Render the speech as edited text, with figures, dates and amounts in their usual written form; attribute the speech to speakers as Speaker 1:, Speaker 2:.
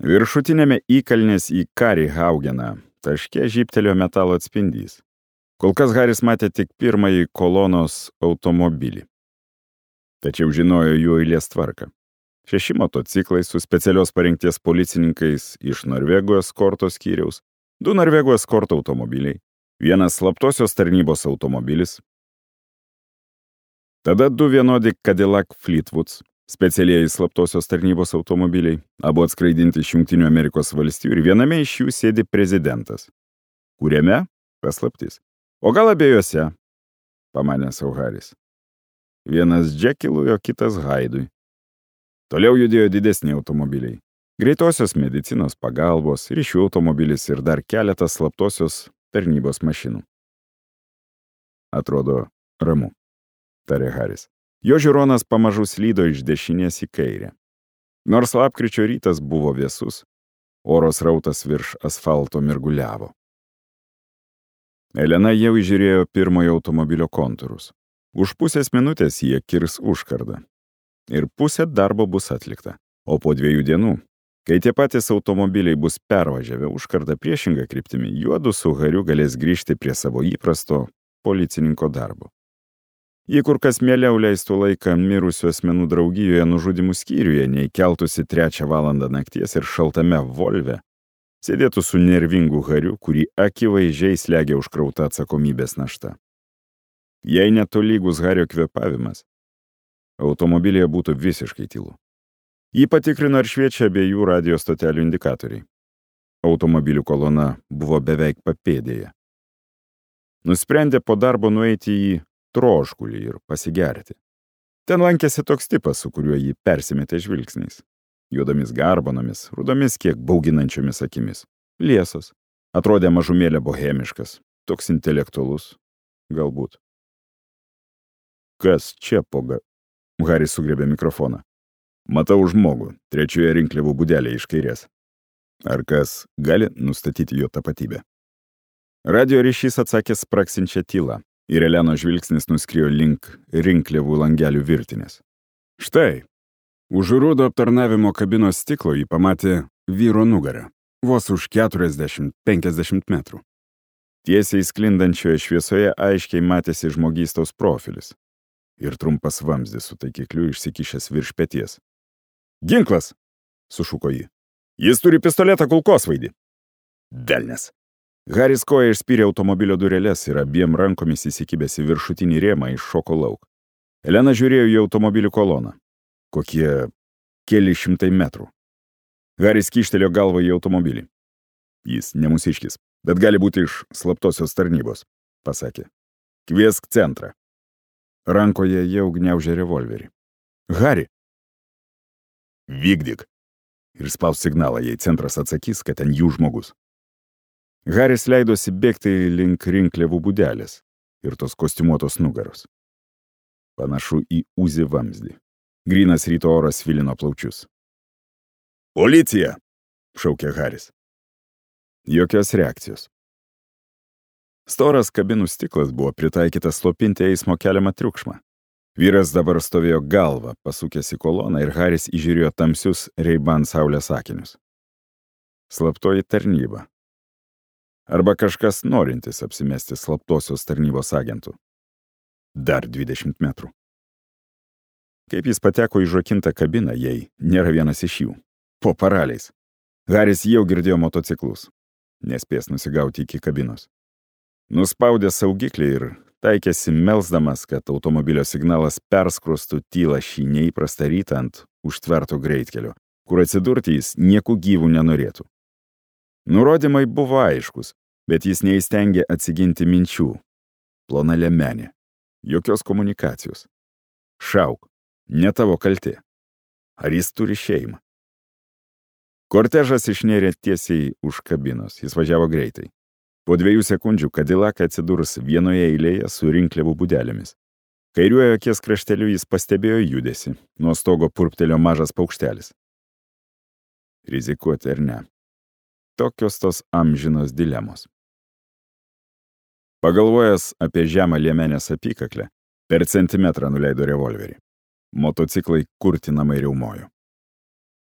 Speaker 1: Viršutinėme įkalnės į Karį Haugeną taške žybtelėjo metalo atspindys. Kol kas Haris matė tik pirmąjį kolonos automobilį. Tačiau žinojo jų eilės tvarką. 6 motociklai su specialios parengties policininkais iš Norvegų eskorto skyriaus, 2 Norvegų eskorto automobiliai, 1 slaptosios tarnybos automobilis, tada 2 vienodi Cadillac Fleetwoods, specialieji slaptosios tarnybos automobiliai, abu atskraidinti iš Jungtinių Amerikos valstijų ir viename iš jų sėdi prezidentas. Kuriame? Paslaptis. O gal abiejose? Pamanė sau Haris. Vienas Džekilui, o kitas Haidui. Toliau judėjo didesni automobiliai. Greitosios medicinos pagalbos, ryšių automobilis ir dar keletas slaptosios tarnybos mašinų. Atrodo ramu, tarė Haris. Jo žiūronas pamažu slydo iš dešinės į kairę. Nors lapkričio rytas buvo vėsus, oro srautas virš asfalto mirguliavo. Elena jau įžiūrėjo pirmojo automobilio kontūrus. Už pusės minutės jie kirs užkardą. Ir pusė darbo bus atlikta. O po 2 dienų, kai tie patys automobiliai bus pervažiavę užkardą priešingą kryptimį, juodu su Hariu galės grįžti prie savo įprasto policininko darbo. Jei kur kas mieliau leistų laiką mirusių asmenų draugijoje nužudimų skyriuje, nei keltųsi 3 valandą nakties ir šaltame Volve, sėdėtų su nervingu Hariu, kurį akivaizdžiai slegia užkrauta atsakomybės našta. Jei netolygus Hario kvėpavimas, automobilyje būtų visiškai tylu. Jį patikrino ir šviečia abiejų radio stotelių indikatoriai. Automobilių kolona buvo beveik papėdėje. Nusprendė po darbo nueiti į troškulį ir pasigerti. Ten lankėsi toks tipas, su kuriuo jį persimetė žvilgsniais. Juodomis garbanomis, rudomis kiek bauginančiomis akimis. Liesas. Atrodė mažumėlė bohemiškas. Toks intelektualus. Galbūt. Kas čia poga? Haris sugriebė mikrofoną. Matau žmogų, 3 rinkliavų būdelėje iš kairės. Ar kas gali nustatyti jo tapatybę? Radio ryšys atsakė spraksinčią tylą. Ir Elenos žvilgsnis nuskriejo link rinkliavų langelių virtinės. Štai, už rūdo aptarnavimo kabinos stiklo jį pamatė vyro nugarą, vos už 40-50 metrų. Tiesiai sklindančioje šviesoje aiškiai matėsi žmogystos profilis ir trumpas vamzdis su taikikliu išsikišęs virš peties. Ginklas, sušuko ji. Jis turi pistoletą kulkosvaidį. Velnias. Haris koja išspyrė automobilio dureles ir abiem rankomis įsikibęs į viršutinį rėmą iššoko lauk. Elena žiūrėjo į automobilių koloną. Kokie keli šimtai metrų. Haris kyštelėjo galvą į automobilį. Jis ne mūsiškis, bet gali būti iš slaptosios tarnybos, pasakė. Kviesk centrą. Rankoje jau gniaužė revolverį. Hari! Vykdyk. Ir spaus signalą, jei centras atsakys, kad ten jų žmogus. Haris leidosi bėgti link rinkliavų būdelės ir tos kostiumuotos nugaros. Panašu į Uzi vamzdį. Grynas ryto oras svilino plaučius. Policija! Šaukė Haris. Jokios reakcijos. Storas kabinų stiklas buvo pritaikytas slopinti eismo keliamą triukšmą. Vyras dabar stovėjo galvą, pasukęs į koloną ir Haris įžiūrėjo tamsius Ray-Ban saulės akinius. Slaptoji tarnyba. Arba kažkas norintis apsimesti slaptosios tarnybos agentų. Dar 20 metrų. Kaip jis pateko į žokintą kabiną, jei nėra vienas iš jų. Po paraliais. Haris jau girdėjo motociklus. Nespės nusigauti iki kabinos. Nuspaudė saugiklį ir taikėsi melsdamas, kad automobilio signalas perskrostų tylą šį neįprastą rytą ant užtverto greitkelio, kur atsidurti jis nieku gyvų nenorėtų. Nurodymai buvo aiškus, bet jis neįstengė atsiginti minčių. Plona liemenė. Jokios komunikacijos. Šauk. Ne tavo kaltė. Ar jis turi šeimą? Kortežas išnėrė tiesiai už kabinos. Jis važiavo greitai. Po 2 sekundžių Cadillac atsidurs vienoje eilėje su rinkliavų būdelėmis. Kairiuojo akies krašteliu jis pastebėjo judesį. Nuo stogo purptelėjo mažas paukštelis. Rizikuoti ar ne? Tokios tos amžinos dilemos. Pagalvojęs apie žemą liemenės apykaklę, per centimetrą nuleido revolverį. Motociklai kurtinamai riaumojo.